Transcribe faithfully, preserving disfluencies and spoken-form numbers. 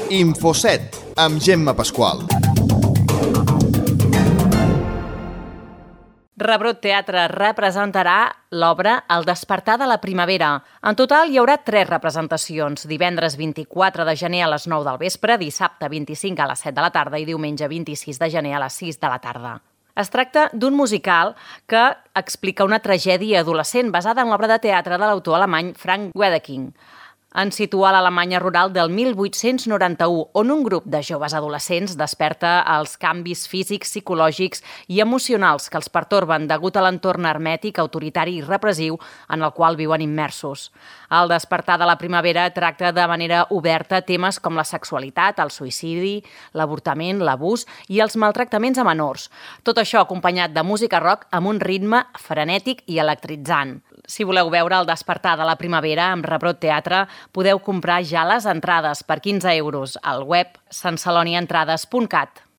Infoset, amb Gemma Pasqual. Rebrot Teatre representarà l'obra El despertar de la primavera. En total hi haurà tres representacions, divendres vint-i-quatre de gener a les nou del vespre, dissabte vint-i-cinc a les set de la tarda i diumenge vint-i-sis de gener a les sis de la tarda. Es tracta d'un musical que explica una tragèdia adolescent basada en l'obra de teatre de l'autor alemany Frank Wedekind. Ens situa a l'Alemanya rural del mil vuit-cents noranta-u, on un grup de joves adolescents desperta els canvis físics, psicològics i emocionals que els pertorben degut a l'entorn hermètic, autoritari i repressiu en el qual viuen immersos. El despertar de la primavera tracta de manera oberta temes com la sexualitat, el suïcidi, l'avortament, l'abús i els maltractaments a menors. Tot això acompanyat de música rock amb un ritme frenètic i electritzant. Si voleu veure El despertar de la primavera amb Rebrot Teatre, podeu comprar ja les entrades per quinze euros al web sanceloniaentrades punt cat.